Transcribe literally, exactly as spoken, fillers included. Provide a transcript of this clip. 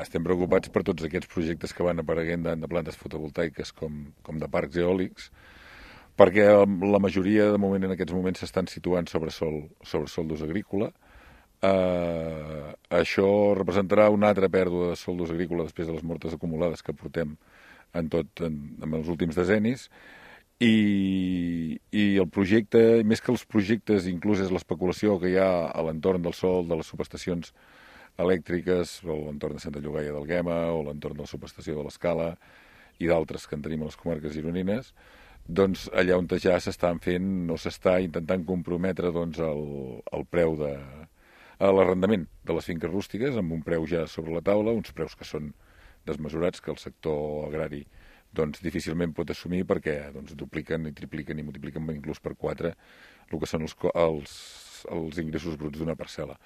Estem preocupats per tots aquests projectes que van apareguent de, de plantes fotovoltaiques com, com de parcs eòlics, perquè la majoria de moment en aquests moments s'estan situant sobre sol, sobre sol d'ús agrícola. Eh, això representarà una altra pèrdua de sol d'ús agrícola després de les mortes acumulades que portem en tot en, en els últims decennis. I, i el projecte, més que els projectes, inclús és l'especulació que hi ha a l'entorn del sol, de les subestacions elèctriques, o a l'entorn de Santa Llogaia d'Alguema, o a l'entorn de la subestació de l'Escala, i d'altres que en tenim a les comarques gironines, doncs allà on ja s'estan fent o s'està intentant comprometre doncs, el, el preu de l'arrendament de les finques rústiques amb un preu ja sobre la taula, uns preus que són desmesurats, que el sector agrari doncs difícilment pot assumir perquè doncs, dupliquen i tripliquen i multipliquen inclús per quatre el que són els, els, els ingressos bruts d'una parcel·la.